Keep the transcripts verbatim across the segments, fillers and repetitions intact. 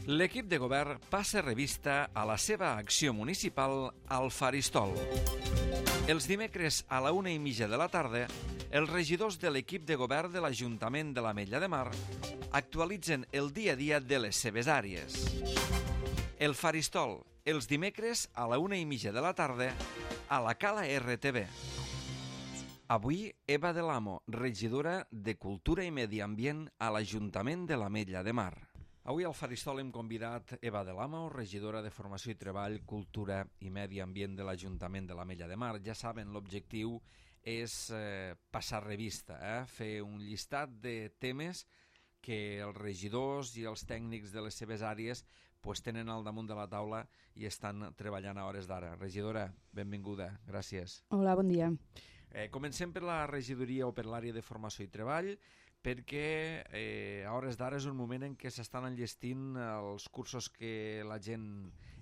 L'equip de govern passa revista a la seva acció municipal al Faristol. Els dimecres a la una i mitja de la tarda, els regidors de l'equip de govern de l'Ajuntament de l'Ametlla de Mar actualitzen el dia a dia de les seves àrees. El Faristol, els dimecres a la una i mitja de la tarda, a la Cala R T V. Avui, Eva de l'Amo, regidora de Cultura i Medi Ambient a l'Ajuntament de l'Ametlla de Mar. Avui al Faristol hem convidat Eva de l'Amo, regidora de Formació i Treball, Cultura i Medi Ambient de l'Ajuntament de l'Ametlla de Mar. Ja saben, l'objectiu és eh, passar revista, eh? fer un llistat de temes que els regidors i els tècnics de les seves àrees pues, tenen al damunt de la taula i estan treballant a hores d'ara. Regidora, benvinguda, gràcies. Hola, bon dia. Eh, comencem per la regidoria o per l'àrea de Formació i Treball, perquè eh, a hores d'ara és un moment en què s'estan enllestint els cursos que la gent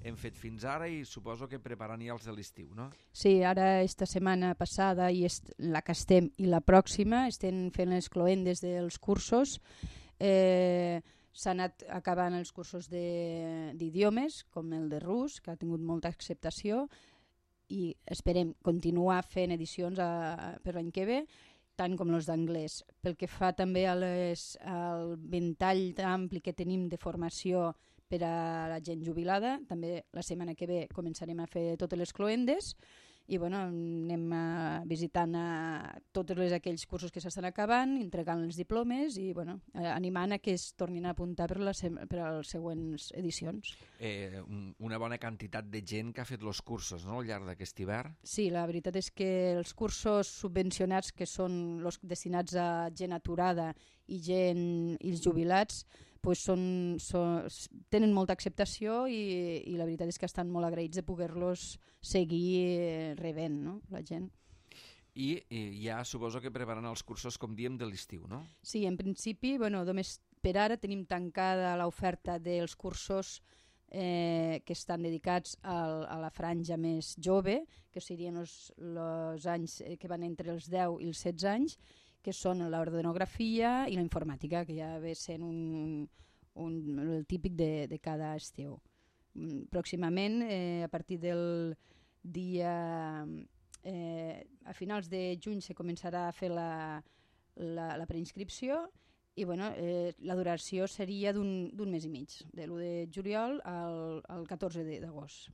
hem fet fins ara i suposo que preparant ja els de l'estiu, no? Sí, ara esta setmana passada i est la que estem i la pròxima estem fent les cloendes dels cursos. Eh, s'han anat acabant els cursos d'idiomes, com el de rus, que ha tingut molta acceptació, i esperem continuar fent edicions a, a, per l'any que ve, tant com els d'anglès. Pel que fa també a les, al ventall ampli que tenim de formació per a la gent jubilada, també la setmana que ve començarem a fer totes les cloendes i bueno, anem a, visitant a tots les, aquells cursos que s'estan acabant, entregant els diplomes i bueno, animant a que es tornin a apuntar per, la, per a les següents edicions. Eh, una bona quantitat de gent que ha fet els cursos, no?, al llarg d'aquest hivern. Sí, la veritat és que els cursos subvencionats, que són els destinats a gent aturada i gent i els jubilats, pues són, són, tenen molta acceptació i, i la veritat és que estan molt agraïts de poder-los seguir rebent, no?, la gent. I, I ja suposo que preparen els cursos, com diem, de l'estiu, no? Sí, en principi, bueno, només per ara tenim tancada l'oferta dels cursos eh, que estan dedicats al, a la franja més jove, que serien els, els anys que van entre els deu i els setze anys, que són l'ordenografia i la informàtica, que ja ve sent un, un, el típic de, de cada estiu. Pròximament, eh, a partir del dia... Eh, a finals de juny se començarà a fer la, la, la preinscripció i bueno, eh, la duració seria d'un mes i mig, de l'u de juliol al, al catorze d'agost.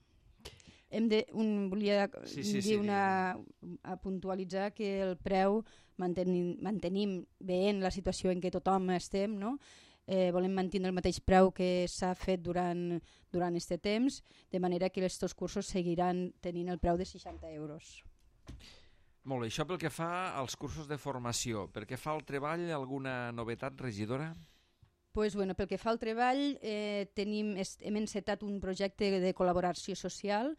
Hem de, un, volia sí, sí, dir sí, una, a puntualitzar que el preu mantenim, mantenim veient la situació en què tothom estem, no? eh, volem mantenir el mateix preu que s'ha fet durant durant este temps, de manera que aquests cursos seguiran tenint el preu de seixanta euros. Molt bé, això pel que fa als cursos de formació. Per què fa el treball, alguna novetat, regidora? Pues, bueno, pel que fa al treball, eh, tenim, hem encetat un projecte de col·laboració social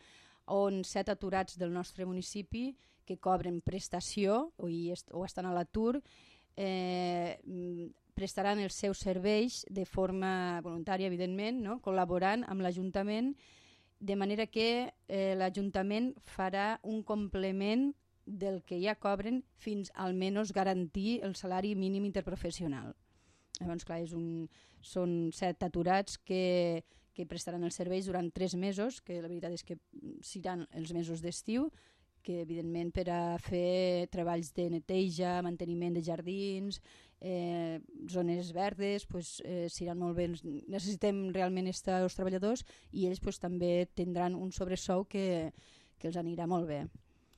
on set aturats del nostre municipi que cobren prestació o, est o estan a l'atur eh, prestaran els seus serveis de forma voluntària, evidentment, no? Col·laborant amb l'Ajuntament, de manera que eh, l'Ajuntament farà un complement del que ja cobren fins almenys garantir el salari mínim interprofessional. Llavors, clar, és un, són set aturats que, que prestaran els serveis durant tres mesos, que la veritat és que seran els mesos d'estiu, que evidentment per a fer treballs de neteja, manteniment de jardins, eh, zones verdes, pues, eh, seran molt bé. Necessitem realment estar els treballadors i ells pues, també tindran un sobresou que, que els anirà molt bé.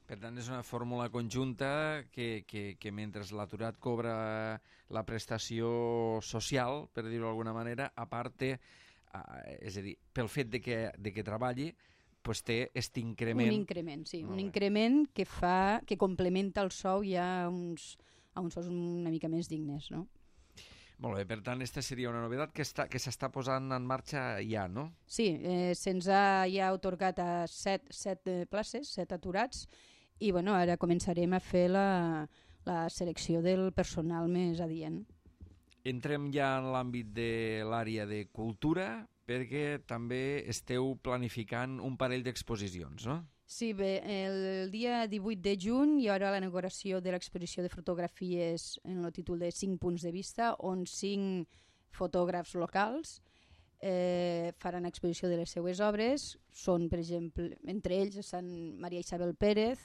Per tant, és una fórmula conjunta que, que, que mentre l'aturat cobra la prestació social, per dir-ho d'alguna manera, a part té, eh, és a dir, pel fet de que, de que treballi, pues té aquest increment. Un increment, sí, un increment que fa, que complementa el sou ja a uns, a uns sous una mica més dignes, no? Molt bé, per tant, aquesta seria una novetat que està, que s'està posant en marxa ja, no? Sí, eh, se'ns ha ja atorgat a set, set places, set aturats, i bueno, ara començarem a fer la, la selecció del personal més adient. Entrem ja en l'àmbit de l'àrea de cultura, perquè també esteu planificant un parell d'exposicions, no? Sí, bé, el dia divuit de juny hi haurà la inauguració de l'exposició de fotografies en el títol de cinc punts de vista, on cinc fotògrafs locals eh, faran exposició de les seues obres. Són, per exemple, entre ells estan Maria Isabel Pérez,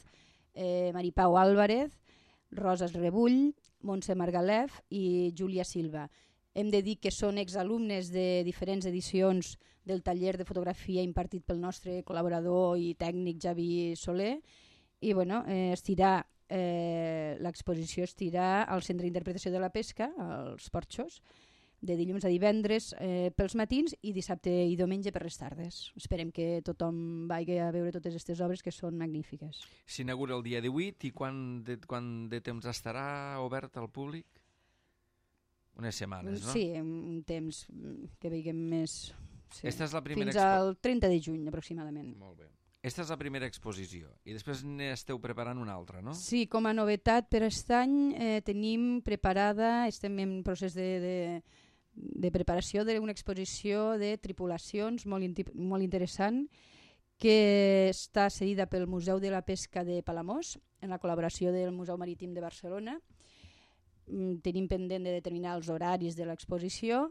eh, Maripau Álvarez, Roses Rebull, Montse Margalef i Júlia Silva. Hem de dir que són exalumnes de diferents edicions del taller de fotografia impartit pel nostre col·laborador i tècnic Javi Soler, i bueno, eh, estirà, eh, l'exposició estirà al Centre d'Interpretació de la Pesca, als Porxos, de dilluns a divendres eh, pels matins i dissabte i diumenge per les tardes. Esperem que tothom vagi a veure totes aquestes obres, que són magnífiques. S'inaugura el dia divuit i quan de, quan de temps estarà obert al públic? Unes setmanes, no? Sí, un temps que veiem més... Sí. Esta és la primera Fins expo... al trenta de juny, aproximadament. Molt bé. Esta és la primera exposició i després n'esteu preparant una altra, no? Sí, com a novetat per aquest any eh, tenim preparada, estem en procés de, de, de preparació d'una exposició de tripulacions molt, in, molt interessant que està cedida pel Museu de la Pesca de Palamós en la col·laboració del Museu Marítim de Barcelona. Tenim pendent de determinar els horaris de l'exposició,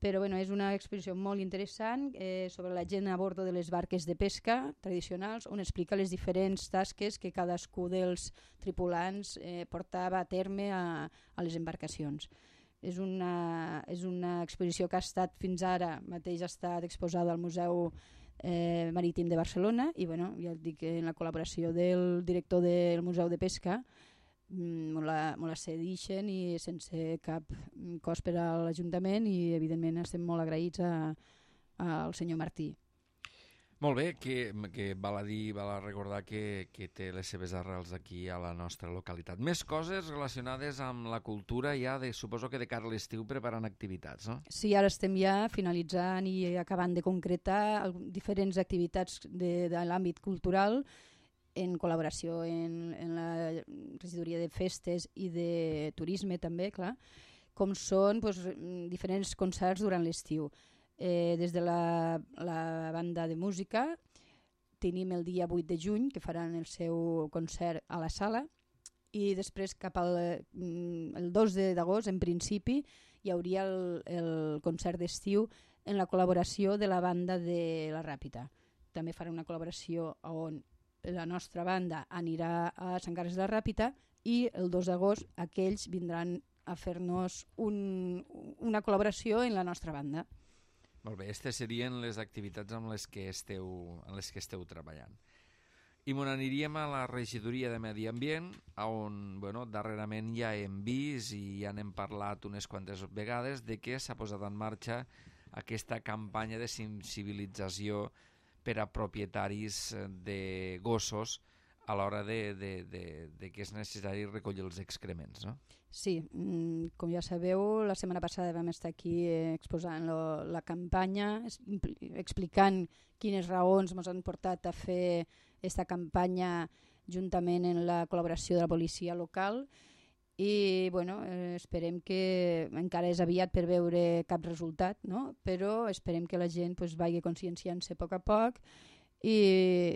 però bueno, és una exposició molt interessant eh, sobre la gent a bordo de les barques de pesca tradicionals, on explica les diferents tasques que cadascú dels tripulants eh, portava a terme a, a les embarcacions. És una, és una exposició que ha estat fins ara mateix ha estat exposada al Museu eh, Marítim de Barcelona i bueno, ja et dic, en la col·laboració del director del Museu de Pesca molt la, molt la cedixen i sense cap cost per a l'Ajuntament i evidentment estem molt agraïts a, a, al senyor Martí. Molt bé, que, que val a dir, val a recordar que, que té les seves arrels aquí a la nostra localitat. Més coses relacionades amb la cultura ja, de, suposo que de cara a l'estiu preparant activitats, no? Sí, ara estem ja finalitzant i acabant de concretar diferents activitats de, de l'àmbit cultural en col·laboració en, en la regidoria de festes i de turisme també, clar, com són doncs, diferents concerts durant l'estiu. Eh, des de la, la banda de música tenim el dia vuit de juny que faran el seu concert a la sala i després cap al el dos d'agost en principi hi hauria el, el concert d'estiu en la col·laboració de la banda de la Ràpita. També farà una col·laboració on la nostra banda anirà a Sant Carles de la Ràpita i el dos d'agost aquells vindran a fer-nos un, una col·laboració en la nostra banda. Molt bé, aquestes serien les activitats amb les que esteu, en les que esteu treballant. I me n'aniríem a la regidoria de Medi Ambient, on bueno, darrerament ja hem vist i ja n'hem parlat unes quantes vegades de que s'ha posat en marxa aquesta campanya de sensibilització per a propietaris de gossos a l'hora de, de, de, de que és necessari recollir els excrements, no? Sí, com ja sabeu, la setmana passada vam estar aquí exposant lo, la campanya, explicant quines raons ens han portat a fer aquesta campanya juntament en la col·laboració de la policia local i bueno, eh, esperem que encara és aviat per veure cap resultat, no? Però esperem que la gent pues, vagi conscienciant-se a poc a poc i,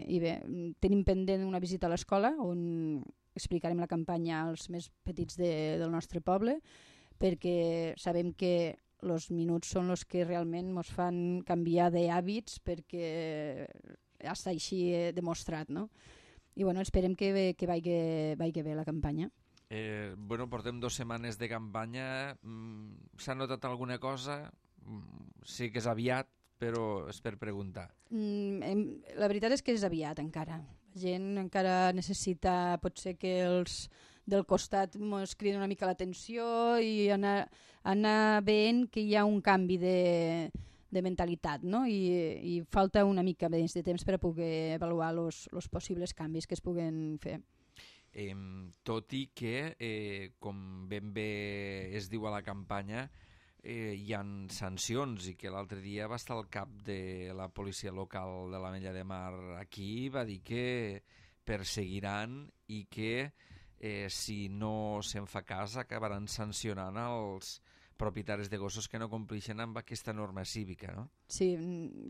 i bé, tenim pendent una visita a l'escola on explicarem la campanya als més petits de, del nostre poble perquè sabem que els minuts són els que realment ens fan canviar d'hàbits perquè està així demostrat, no? I bueno, esperem que, que vagi, vagi bé la campanya. Eh, bueno, portem dues setmanes de campanya. Mm, s'ha notat alguna cosa? Mm, sí que és aviat, però és per preguntar. Mm, hem, la veritat és que és aviat encara. La gent encara necessita, potser que els del costat ens criden una mica l'atenció i anar, anar veient que hi ha un canvi de, de mentalitat, no? I, i falta una mica més de temps per a poder avaluar els possibles canvis que es puguen fer. Eh, tot i que, eh, com ben bé es diu a la campanya, eh, hi ha sancions i que l'altre dia va estar al cap de la policia local de l'Ametlla de Mar aquí, va dir que perseguiran i que eh, si no se'n fa cas acabaran sancionant els propietaris de gossos que no complixen amb aquesta norma cívica, no? Sí,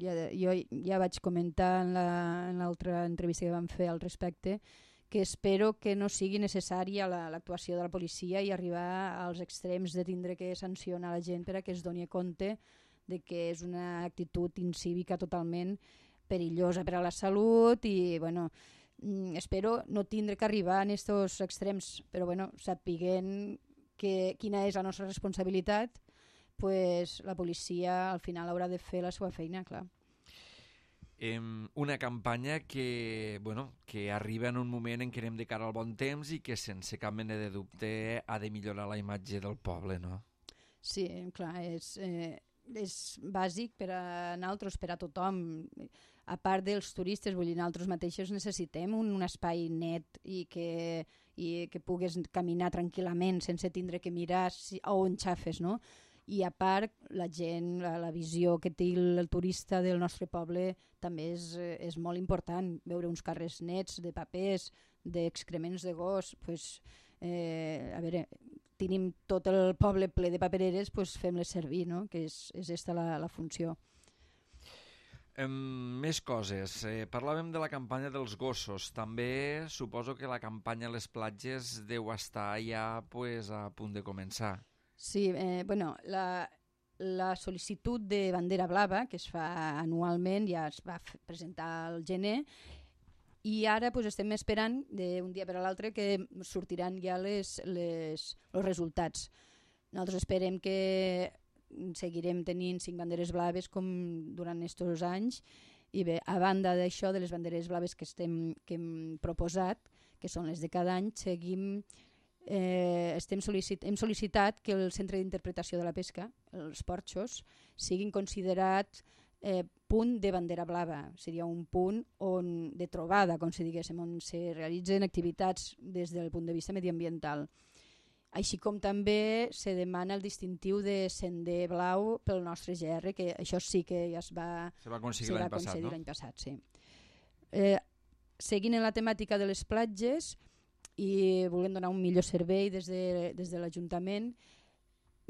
ja, jo ja vaig comentar en l'altra la, entrevista que vam fer al respecte que espero que no sigui necessària l'actuació de la policia i arribar als extrems de tindre que sancionar la gent per a que es doni compte de que és una actitud incívica totalment perillosa per a la salut i, bueno, espero no tindre que arribar en aquests extrems, però, bueno, sapiguent que, quina és la nostra responsabilitat, pues, la policia al final haurà de fer la seva feina, clar. Eh, una campanya que, bueno, que arriba en un moment en què anem de cara al bon temps i que sense cap mena de dubte ha de millorar la imatge del poble, no? Sí, clar, és, eh, és bàsic per a nosaltres, per a tothom. A part dels turistes, vull dir, nosaltres mateixos necessitem un, un espai net i que, i que pugues caminar tranquil·lament sense tindre que mirar si, on xafes, no? I a part, la gent, la, la visió que té el, el turista del nostre poble també és, és molt important. Veure uns carrers nets de papers, d'excrements de gos, pues, eh, a veure, tenim tot el poble ple de papereres, pues fem-les servir, no? Que és, és esta la, la funció. Um, més coses. Eh, parlàvem de la campanya dels gossos. També suposo que la campanya a les platges deu estar ja pues, a punt de començar. Sí, eh, bueno, la, la sol·licitud de bandera blava, que es fa anualment, ja es va presentar al gener, i ara pues, estem esperant d'un dia per a l'altre que sortiran ja les, les, els resultats. Nosaltres esperem que seguirem tenint cinc banderes blaves com durant aquests anys, i bé, a banda d'això, de les banderes blaves que, estem, que hem proposat, que són les de cada any, seguim... Eh, estem sol·licit hem sol·licitat que el centre d'interpretació de la pesca, els porxos, siguin considerats eh, punt de bandera blava. Seria un punt on, de trobada, com si diguéssim, on se realitzen activitats des del punt de vista mediambiental. Així com també se demana el distintiu de sender blau pel nostre G R, que això sí que ja es va, se va aconseguir l'any passat, no? l'any passat, sí. Eh, seguint en la temàtica de les platges, i volem donar un millor servei des de, des de l'Ajuntament.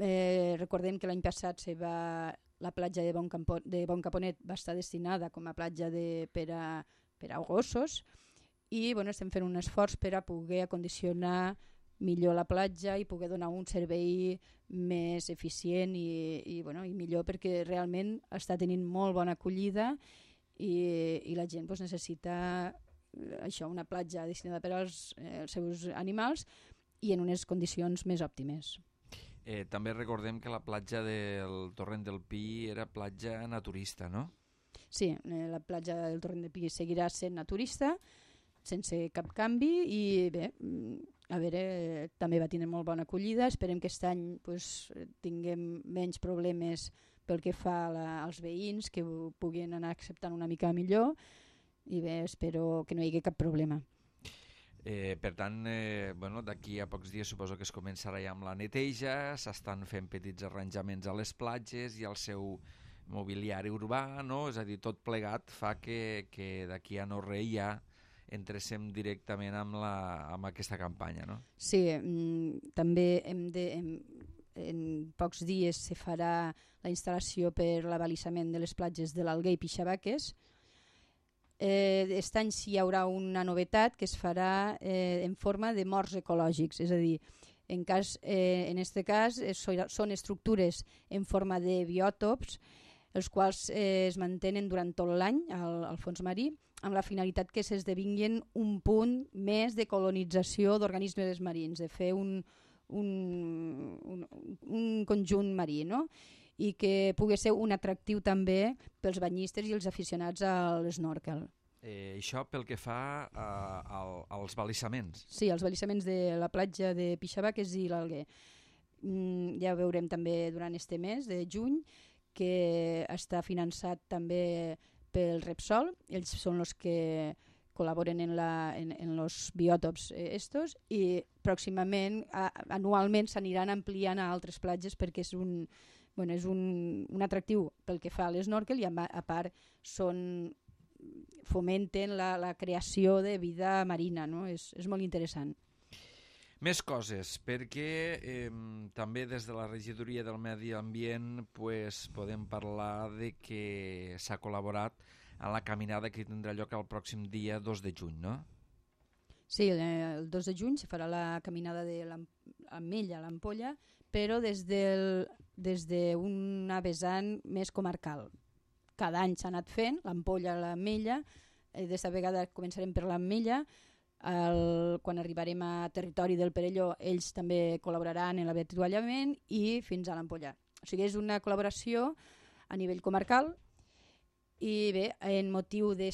Eh, recordem que l'any passat se va, la platja de Bon, Campo, de Bon Caponet va estar destinada com a platja de, per, a, per a gossos i bueno, estem fent un esforç per a poder acondicionar millor la platja i poder donar un servei més eficient i, i, bueno, i millor, perquè realment està tenint molt bona acollida i, i la gent pues, necessita això, una platja destinada per als eh, els seus animals i en unes condicions més òptimes. Eh, també recordem que la platja del Torrent del Pi era platja naturista, no? Sí, eh, la platja del Torrent del Pi seguirà sent naturista, sense cap canvi i bé, a veure, eh, també va tenir molt bona acollida. Esperem que aquest any pues, tinguem menys problemes pel que fa a la, als veïns, que ho puguin anar acceptant una mica millor. I bé, espero que no hi hagi cap problema. Eh, per tant, eh, bueno, d'aquí a pocs dies suposo que es començarà ja amb la neteja, s'estan fent petits arranjaments a les platges i al seu mobiliari urbà, no? És a dir, tot plegat fa que, que d'aquí a no res ja entresem directament amb, la, amb aquesta campanya, no? Sí, mm, també hem de... Hem, en pocs dies se farà la instal·lació per l'abalisament de les platges de l'Alguer i Pixabaques. Aquest eh, any sí hi haurà una novetat que es farà eh, en forma de morts ecològics, és a dir, en cas, eh, en este cas eh, són estructures en forma de biòtops, els quals eh, es mantenen durant tot l'any al, al fons marí, amb la finalitat que s'esdevinguin un punt més de colonització d'organismes marins, de fer un, un, un, un conjunt marí, no? I que pugui ser un atractiu també pels banyistes i els aficionats a l'snorkel. Eh, això pel que fa a, a, als balissaments. Sí, els balissaments de la platja de Pixabaques i l'Alguer. Mm, ja veurem també durant este mes de juny que està finançat també pel Repsol. Ells són els que col·laboren en, la, en, en los biòtops eh, estos i pròximament, a, anualment s'aniran ampliant a altres platges perquè és un... Bueno, és un, un atractiu pel que fa a l'snorkel i a, a part són, fomenten la, la creació de vida marina, no? És, és molt interessant. Més coses, perquè eh, també des de la Regidoria del Medi Ambient pues, podem parlar de que s'ha col·laborat a la caminada que tindrà lloc el pròxim dia dos de juny, no? Sí, el dos de juny se farà la caminada de l'Ametlla a l'Ampolla, però des del, des d'una vessant més comarcal. Cada any s'ha anat fent, l'ampolla a l'Ametlla, d'esta vegada començarem per l'Ametlla, quan arribarem a territori del Perelló ells també col·laboraran en l'avituallament i fins a l'ampolla. O sigui, és una col·laboració a nivell comarcal i bé, en motiu de,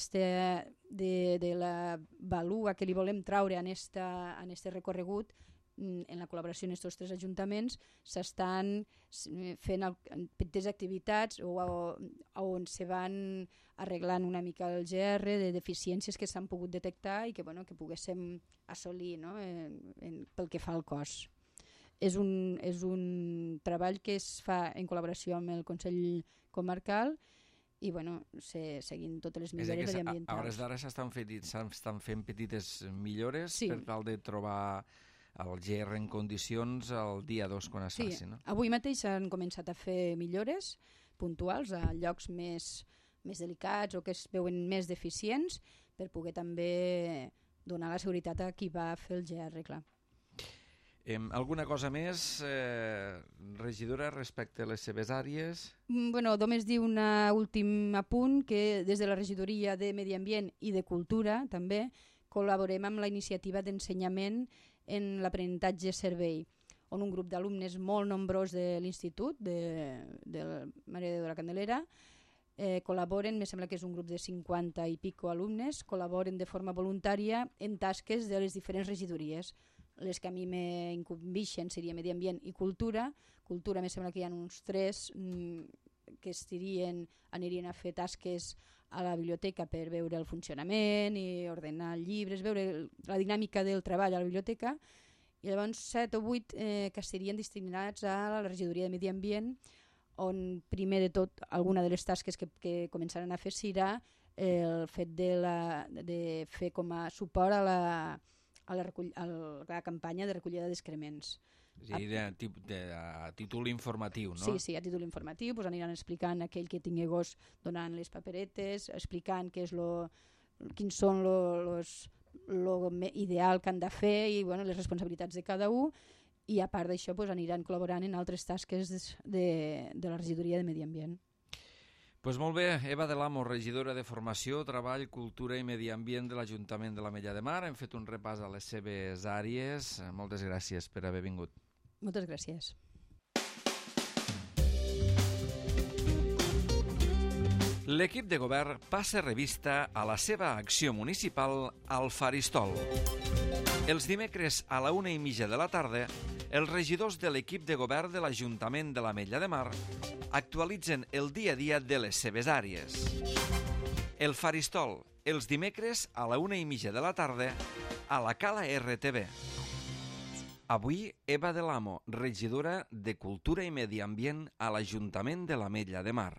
de la valua que li volem traure en aquest recorregut, en la col·laboració amb aquests tres ajuntaments s'estan fent petites activitats on se van arreglant una mica el G R de deficiències que s'han pogut detectar i que, bueno, que poguéssim assolir, no? en, en, pel que fa al cos. És un, és un treball que es fa en col·laboració amb el Consell Comarcal i bueno, se, seguint totes les millores mediambientals. A hores d'ara s'estan fent, fent petites millores sí. per tal de trobar el G R en condicions el dia dos quan es sí. faci, no? Avui mateix s'han començat a fer millores puntuals a llocs més, més delicats o que es veuen més deficients per poder també donar la seguretat a qui va fer el G R, clar. Eh, alguna cosa més, eh, regidora, respecte a les seves àrees? Bueno, només dir un últim apunt, que des de la regidoria de Medi Ambient i de Cultura també col·laborem amb la iniciativa d'ensenyament en l'aprenentatge servei, on un grup d'alumnes molt nombrós de l'institut, de, de Mare de Déu de la Candelera, eh, col·laboren, me sembla que és un grup de cinquanta i pico alumnes, col·laboren de forma voluntària en tasques de les diferents regidories. Les que a mi m'incumbixen seria Medi Ambient i Cultura. Cultura me sembla que hi ha uns tres mm, que estirien, anirien a fer tasques a la biblioteca per veure el funcionament i ordenar llibres, veure la dinàmica del treball a la biblioteca, i llavors set o vuit eh, que serien destinats a la regidoria de Medi Ambient, on primer de tot alguna de les tasques que, que començaran a fer serà el fet de, la, de fer com a suport a la, a la, recull, a la campanya de recollida d'excrements. És a dir, de, de, a títol informatiu, no? Sí, sí, a títol informatiu, pues aniran explicant a aquell que tingui gos donant les paperetes, explicant què és lo, quins són lo, los, lo ideal que han de fer i bueno, les responsabilitats de cada un, i a part d'això pues, aniran col·laborant en altres tasques de, de la regidoria de Medi Ambient. Pues molt bé, Eva de l'Amo, regidora de Formació, Treball, Cultura i Medi Ambient de l'Ajuntament de l'Ametlla de Mar. Hem fet un repàs a les seves àrees. Moltes gràcies per haver vingut. Moltes gràcies. L'equip de govern passa revista a la seva acció municipal al Faristol. Els dimecres a la una i mitja de la tarda, els regidors de l'equip de govern de l'Ajuntament de l'Ametlla de Mar actualitzen el dia a dia de les seves àrees. El Faristol, els dimecres a la una i mitja de la tarda, a la Cala R T V. Avui, Eva de l'Amo, regidora de Cultura i Medi Ambient a l'Ajuntament de l'Ametlla de Mar.